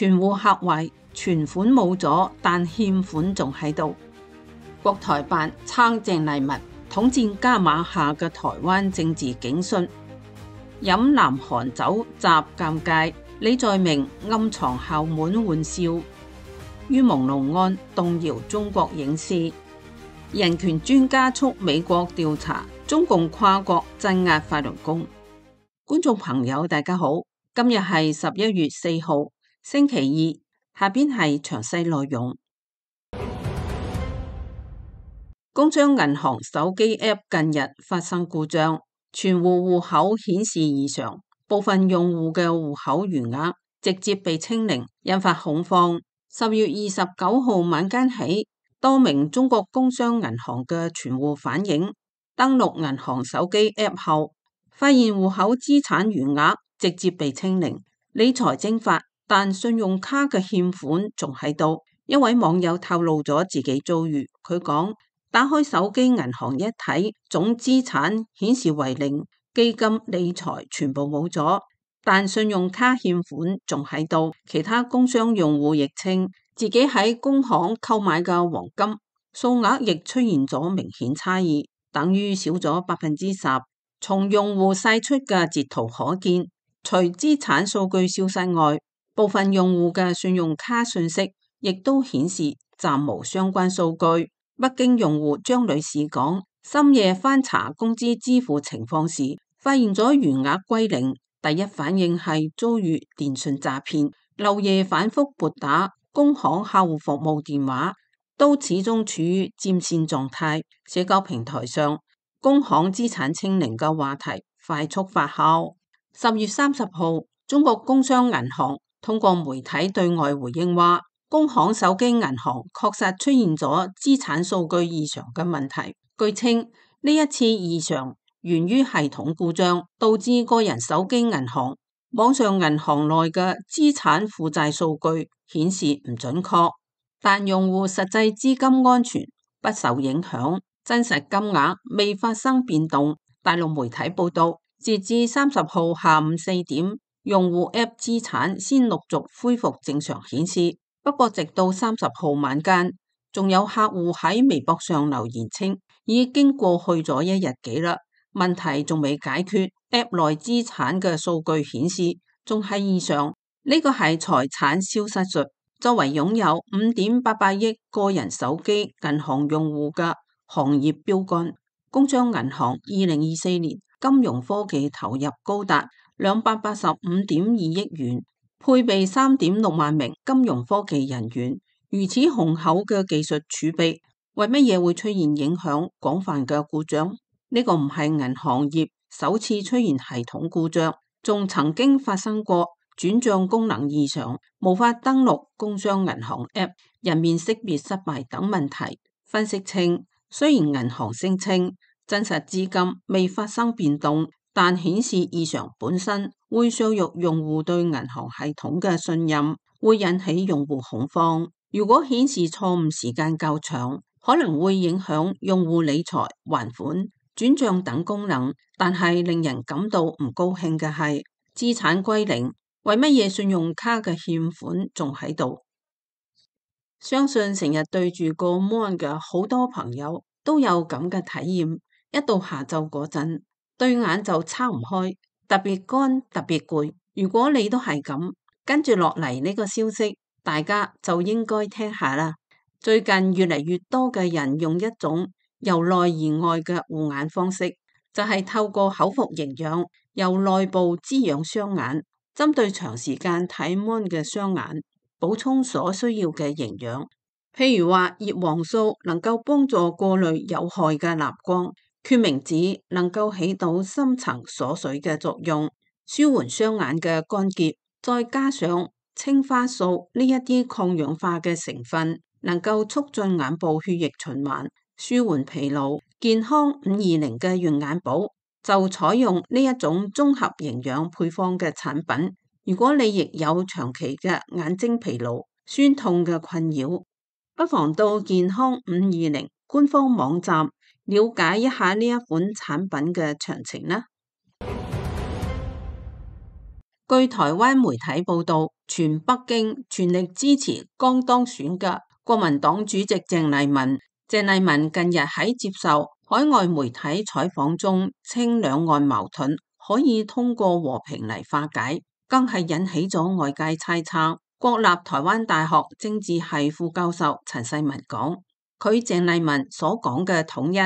存戶嚇壞，存款冇咗，但欠款仲喺度。國台辦撐鄭麗文，統戰加碼下嘅台灣政治警訊。飲南韓酒習尷尬，李在明暗藏校門玩笑。於朦朧案動搖中國影視。人權專家促美國調查中共跨國鎮壓法輪功。觀眾朋友大家好，今日係11月4號星期二，下邊係詳細內容。工商銀行手機 App 近日發生故障，存戶戶口顯示異常，部分用戶嘅戶口餘額直接被清零，引發恐慌。10月29號晚間起，多名中國工商銀行嘅存戶反映，登錄銀行手機 App 後，發現戶口資產餘額直接被清零，理財蒸發，但信用卡嘅欠款仲喺度。一位網友透露咗自己遭遇，佢講：打開手機銀行一睇，總資產顯示為零，基金理財全部冇咗，但信用卡欠款仲喺度。其他工商用戶亦稱，自己喺工行購買嘅黃金數額亦出現咗明顯差異，等於少咗10%。從用戶晒出嘅截圖可見，除資產數據消失外，部分用戶嘅信用卡信息亦都顯示暫無相關數據。北京用戶張女士講，深夜翻查工資支付情況時，發現咗餘額歸零，第一反應係遭遇電信詐騙，漏夜反覆撥打工行客戶服務電話，都始終處於佔線狀態。社交平台上，工行資產清零嘅話題快速發酵。10月30號，中國工商銀行通過媒體對外回應話，工行手機銀行確實出現咗資產數據異常嘅問題。據稱，呢一次異常源於系統故障，導致個人手機銀行、網上銀行內嘅資產負債數據顯示唔準確，但用戶實際資金安全不受影響，真實金額未發生變動。大陸媒體報道，截至30號下午4點，用戶 App 資產先陸續恢復正常顯示。不過直到30號晚間，仲有客戶喺微博上留言稱，已經過去咗1日幾啦，問題仲未解決。App 內資產嘅數據顯示仲係異常，呢個係財產消失術。作為擁有5.88億個人手機銀行用戶嘅行業標杆，工商銀行2024年金融科技投入高達285.2億元。配備3.6萬名金融科技人員，如此雄厚嘅技術儲備，為乜嘢會出現影響廣泛嘅故障？呢個唔係銀行業首次出現系統故障，仲曾經發生過轉賬功能異常、無法登錄工商銀行 App、人面識別失敗等問題。分析稱，雖然銀行聲稱真實資金未發生變動，但顯示異常本身會削弱用戶對銀行系統嘅信任，會引起用戶恐慌。如果顯示錯誤時間較長，可能會影響用戶理財、還款、轉賬等功能。但係令人感到唔高興嘅係，資產歸零，為乜嘢信用卡嘅欠款仲喺度？相信成日對住個 mon 嘅好多朋友都有咁嘅體驗，一到下晝嗰陣，對眼就撐唔開，特別乾，特別攰。如果你都係咁，跟住落嚟呢個消息，大家就應該聽下啦。最近越嚟越多嘅人用一種由內而外嘅護眼方式，就係透過口服營養，由內部滋養雙眼，針對長時間睇 mon 嘅雙眼，補充所需要嘅營養。譬如話葉黃素能夠幫助過濾有害嘅藍光。決明子能夠起到深層鎖水嘅作用，舒緩雙眼嘅乾澀，再加上青花素呢一啲抗氧化嘅成分，能夠促進眼部血液循環，舒緩疲勞。健康520嘅潤眼寶就採用呢一種綜合營養配方嘅產品。如果你亦有長期嘅眼睛疲勞、酸痛嘅困擾，不妨到健康520官方網站了解一下呢一款產品嘅詳情啦。據台灣媒體報道，全北京全力支持剛當選嘅國民黨主席鄭麗文。鄭麗文近日喺接受海外媒體採訪中稱，兩岸矛盾可以通過和平嚟化解，更係引起咗外界猜測。國立台灣大學政治系副教授陳世文講，佢鄭麗文所講嘅統一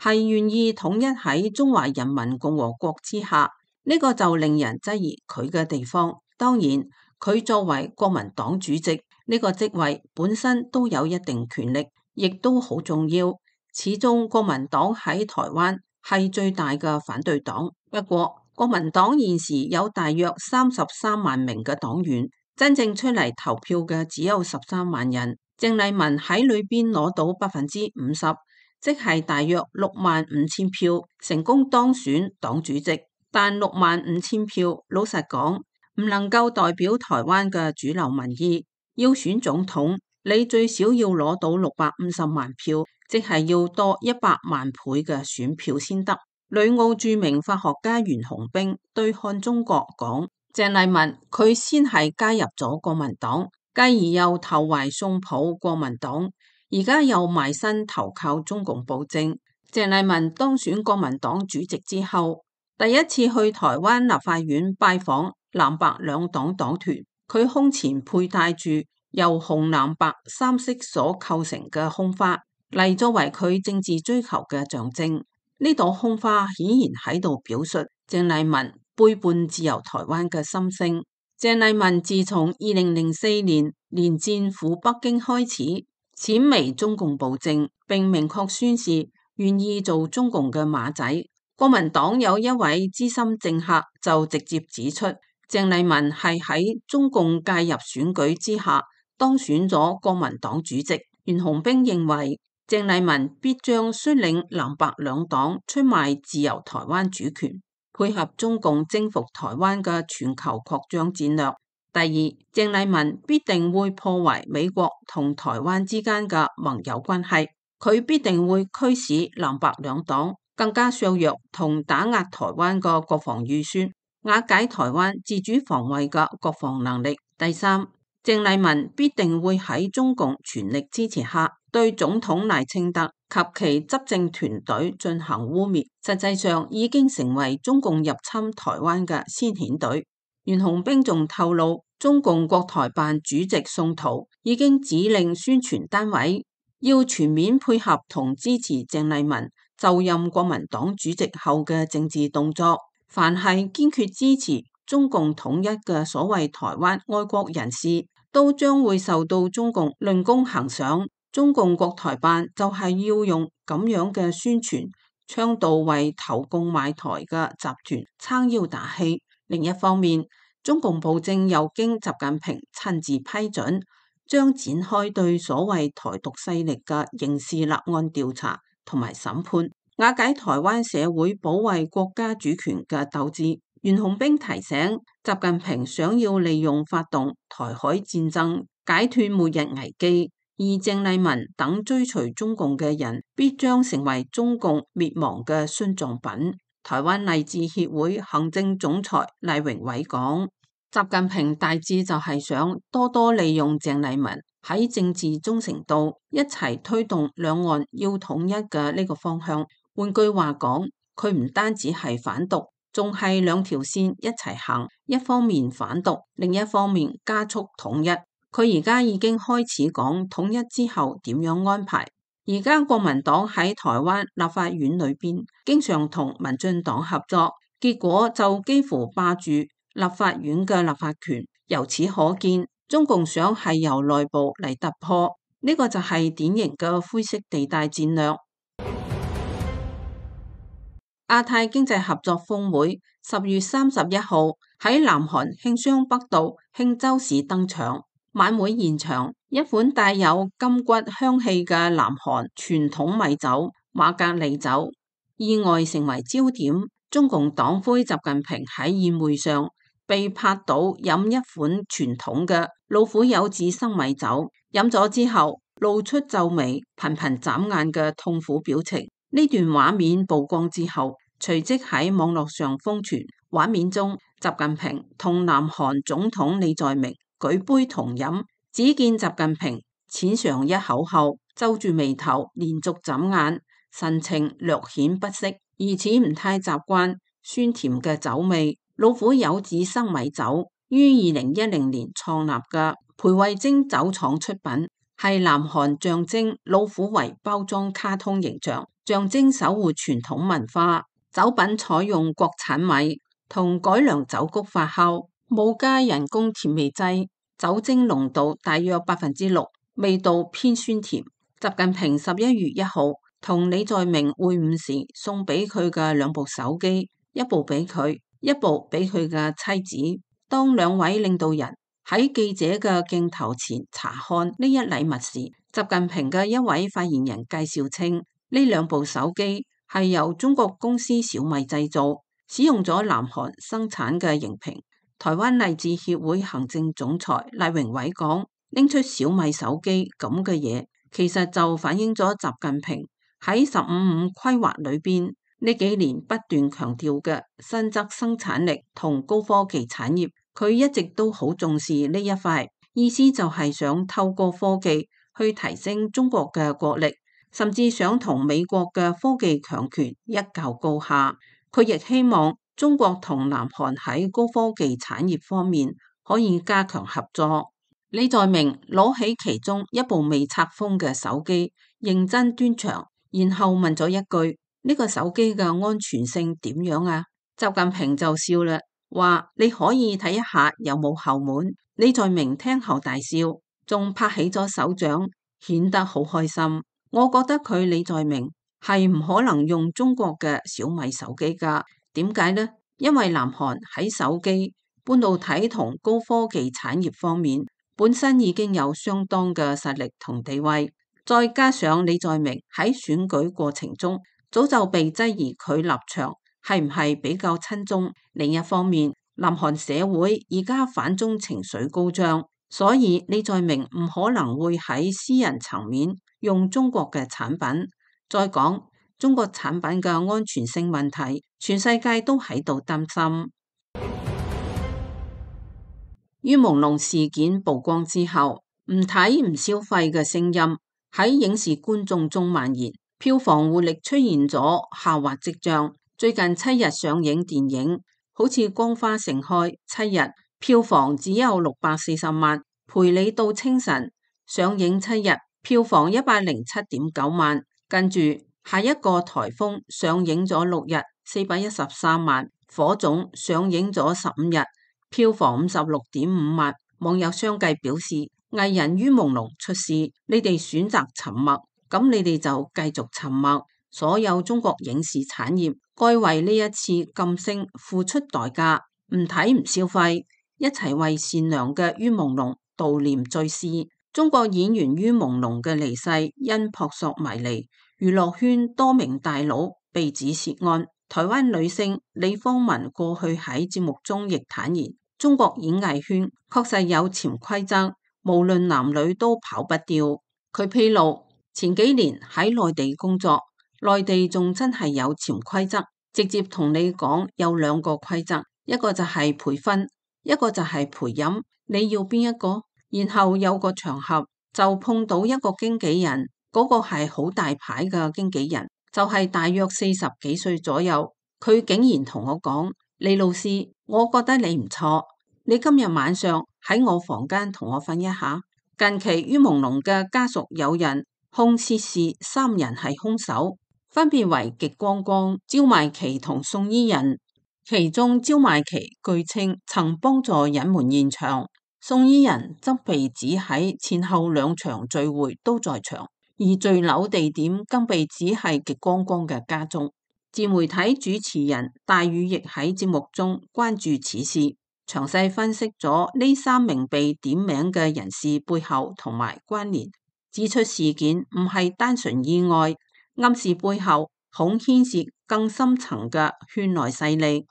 係願意統一喺中華人民共和國之下，呢個就令人質疑佢嘅地方。當然，佢作為國民黨主席，呢個職位本身都有一定權力，亦都好重要。始終國民黨喺台灣係最大嘅反對黨。不過，國民黨現時有大約33萬名嘅黨員，真正出嚟投票嘅只有13萬人。鄭麗文喺裏邊攞到50%，即係大約65000票，成功當選黨主席。但65000票，老實講，唔能夠代表台灣嘅主流民意。要選總統，你最少要攞到650萬票，即係要多100萬倍嘅選票先得。旅澳著名法學家袁弘彬對漢中國講，鄭麗文佢先係加入咗國民黨，繼而又投懷送抱國民黨，而家又埋身投靠中共暴政。鄭麗文當選國民黨主席之後，第一次去台灣立法院拜訪藍白兩黨黨團，佢胸前佩戴住由紅藍白三色所構成嘅胸花，嚟作為佢政治追求嘅象徵。呢朵胸花顯然喺度表述鄭麗文背叛自由台灣嘅心聲。鄭麗文自從2004年連戰赴北京開始，闡微中共暴政，並明確宣示願意做中共嘅馬仔。國民黨有一位資深政客就直接指出，鄭麗文係喺中共介入選舉之下當選咗國民黨主席。袁弘彬認為，鄭麗文必將率領藍白兩黨出賣自由台灣主權，配合中共征服台灣嘅全球擴張戰略。第二，鄭麗文必定會破壞美國同台灣之間嘅盟友關係，佢必定會驅使藍白兩黨更加削弱同打壓台灣嘅國防預算，瓦解台灣自主防衛嘅國防能力。第三，鄭麗文必定會喺中共全力支持下，對總統賴清德及其執政團隊進行污衊，實際上已經成為中共入侵台灣嘅先遣隊。袁弘彬仲透露，中共國台辦主席宋濤已經指令宣傳單位要全面配合同支持鄭麗文就任國民黨主席後嘅政治動作，凡係堅決支持中共統一嘅所謂台灣愛國人士，都將會受到中共論功行賞。中共國台辦就係要用咁樣嘅宣傳，倡導為投共賣台嘅集團撐腰打氣。另一方面，中共暴政又經習近平親自批准，將展開對所謂台獨勢力嘅刑事立案調查同埋審判，瓦解台灣社會保衛國家主權嘅鬥志。袁弘彬提醒，習近平想要利用發動台海戰爭解脫末日危機，而鄭麗文等追隨中共嘅人必將成為中共滅亡嘅殉葬品。台灣勵志協會行政總裁賴榮偉講，習近平大致就係想多多利用鄭麗文喺政治忠誠度一齊推動兩岸要統一嘅呢個方向。換句話講，佢唔單止係反獨，仲係兩條線一齊行，一方面反獨，另一方面加速統一。佢而家已經開始講統一之後點樣安排。而家國民黨喺台灣立法院裏邊經常同民進黨合作，結果就幾乎霸住立法院嘅立法權。由此可見，中共想係由內部嚟突破，呢個就係典型嘅灰色地帶戰略。亞太經濟合作峰會10月31號喺南韓慶尚北道慶州市登場。晚會現場，一款帶有金骨香氣嘅南韓傳統米酒馬格利酒意外成為焦點。中共黨魁習近平喺宴會上被拍到飲一款傳統嘅老虎柚子生米酒，飲咗之後露出皺眉、頻頻眨眼嘅痛苦表情。呢段畫面曝光之後，隨即喺網絡上瘋傳。畫面中，習近平同南韓總統李在明舉杯同飲，只見習近平淺嘗一口後，皺住眉頭，連續眨眼，神情略顯不適，疑似唔太習慣酸甜嘅酒味。老虎柚子生米酒於2010年創立嘅培慧精酒廠出品，係南韓象徵老虎為包裝卡通形象，象徵守護傳統文化。酒品採用國產米同改良酒穀發酵，冇加人工甜味劑，酒精濃度大約6%，味道偏酸甜。習近平11月1號同李在明會晤時送俾佢嘅兩部手機，一部俾佢，一部俾佢嘅妻子。當兩位領導人喺記者嘅鏡頭前查看呢一禮物時，習近平嘅一位發言人介紹稱，呢兩部手機係由中國公司小米製造，使用咗南韓生產嘅熒屏。台灣勵志協會行政總裁賴榮偉講，拎出小米手機咁嘅嘢，其實就反映咗習近平喺15.5規劃裏邊呢幾年不斷強調嘅新質生產力同高科技產業。佢一直都好重視呢一塊，意思就係想透過科技去提升中國嘅國力，甚至想同美國嘅科技強權一較高下。佢亦希望中國同南韓喺高科技產業方面可以加強合作。李在明攞起其中一部未拆封嘅手機，認真端詳，然後問咗一句：呢個手機嘅安全性點樣啊？習近平就笑啦，話你可以睇一下有冇後門。李在明聽後大笑，仲拍起咗手掌，顯得好開心。我覺得佢李在明係唔可能用中國嘅小米手機㗎。點解呢？因為南韓喺手機、半導體同高科技產業方面本身已經有相當嘅實力同地位，再加上李在明喺選舉過程中早就被質疑佢立場係唔係比較親中。另一方面，南韓社會而家反中情緒高漲，所以李在明唔可能會喺私人層面用中國嘅產品。再講中國產品嘅安全性問題，全世界都喺度擔心。於朦朧事件曝光之後，唔睇唔消費嘅聲音喺影視觀眾中蔓延，票房活力出現咗下滑跡象。最近7日上映電影好似《光花盛開》，7日票房只有640萬，陪你到清晨上映7日票房107.9萬，跟住下一個颱風上映咗6日413萬，火種上映咗15日票房56.5萬。網友相繼表示，藝人於朦朧出事，你哋選擇沉默，咁你哋就繼續沉默。所有中國影視產業該為呢一次禁聲付出代價，唔睇唔消費，一齊為善良嘅於朦朧悼念追思。中國演員於朦朧嘅離世因撲朔迷離，娛樂圈多名大佬被指涉案。台灣女星李芳文過去喺節目中亦坦言，中國演藝圈確實有潛規則，無論男女都跑不掉。佢披露前幾年喺內地工作，內地仲真係有潛規則，直接同你講有2個規則，一個就係陪婚，一個就係陪飲，你要邊一個？然後有個場合就碰到一個經紀人，嗰個係好大牌嘅經紀人，就係大約40幾歲左右。佢竟然同我講：李老師，我覺得你唔錯，你今日晚上喺我房間同我瞓一下。近期於朦朧嘅家屬有人控涉事3人係兇手，分別為極光光、焦邁奇同宋伊人。其中焦邁奇據稱曾幫助隱瞞現場，宋伊人則被指喺前後2場聚會都在場，而墜樓地點更被指係極光光嘅家中。自媒體主持人大宇亦喺節目中關注此事，詳細分析咗呢3名被點名嘅人士背後同埋關聯，指出事件唔係單純意外，暗示背後恐牽涉更深層嘅圈內勢力。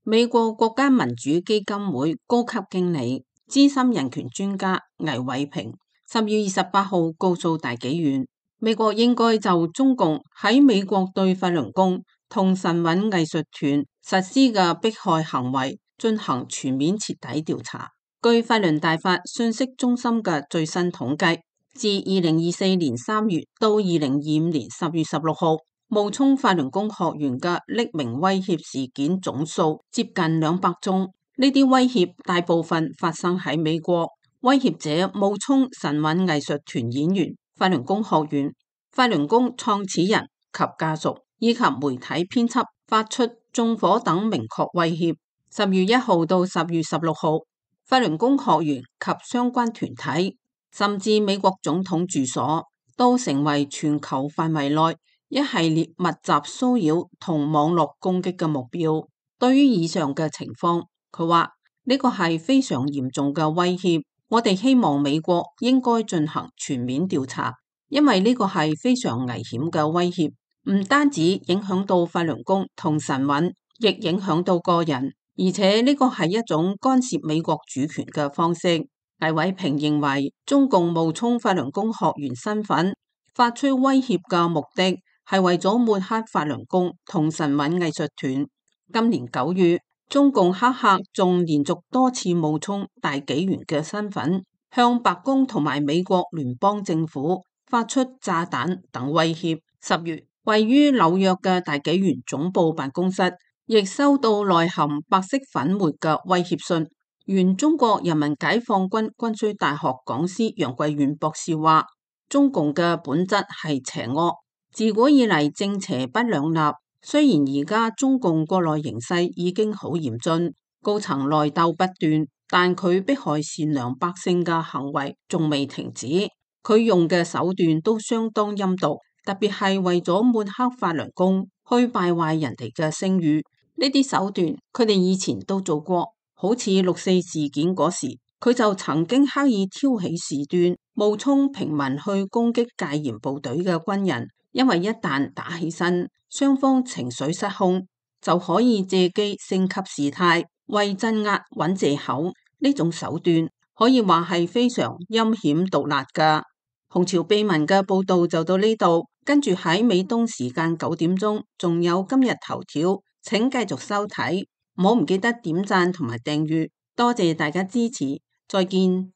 美國國家民主基金會高級經理、資深人權專家魏偉平10月28號告訴大紀元，美國應該就中共喺美國對法輪功同神韻藝術團實施嘅迫害行為進行全面徹底調查。據法輪大法信息中心嘅最新統計，自2024年3月到2025年10月16號，冒充法輪功學員嘅匿名威脅事件總數接近200宗。呢啲威脅大部分發生喺美國，威脅者冒充神韻藝術團演員、法輪功學員、法輪功創始人及家屬以及媒體編輯，發出縱火等明確威脅。10月1號到10月16號，法輪功學員及相關團體，甚至美國總統住所，都成為全球範圍內一系列密集騷擾同網絡攻擊嘅目標。對於以上嘅情況，佢話呢個係非常嚴重嘅威脅，我哋希望美國應該進行全面調查，因為呢個係非常危險嘅威脅，唔單止影響到法輪功同神韻，亦影響到個人。而且呢個係一種干涉美國主權嘅方式。魏偉平認為，中共冒充法輪功學員身份，發出威脅嘅目的係為咗抹黑法輪功同神韻藝術團。今年9月，中共黑客仲連續多次冒充大紀元嘅身份，向白宮同埋美國聯邦政府發出炸彈等威脅。10月，位於紐約嘅大紀元總部辦公室亦收到內含白色粉末嘅威脅信。原中國人民解放軍軍需大學講師楊貴元博士話，中共嘅本質係邪惡，自古以嚟正邪不兩立。雖然而家中共國內形勢已經好嚴峻，高層內鬥不斷，但佢迫害善良百姓嘅行為仲未停止。佢用嘅手段都相當陰毒，特別係為咗抹黑法輪功，去敗壞人哋嘅聲譽。呢啲手段佢哋以前都做過，好似6.4事件嗰時，佢就曾經刻意挑起事端，冒充平民去攻擊戒嚴部隊嘅軍人。因為一旦打起身，雙方情緒失控，就可以借機升級事態，為鎮壓揾藉口。呢種手段可以話係非常陰險毒辣㗎。紅潮秘聞嘅報道就到呢度，跟住喺美東時間9點鐘，仲有今日頭條，請繼續收睇，唔好唔記得點讚同埋訂閱，多謝大家支持，再見。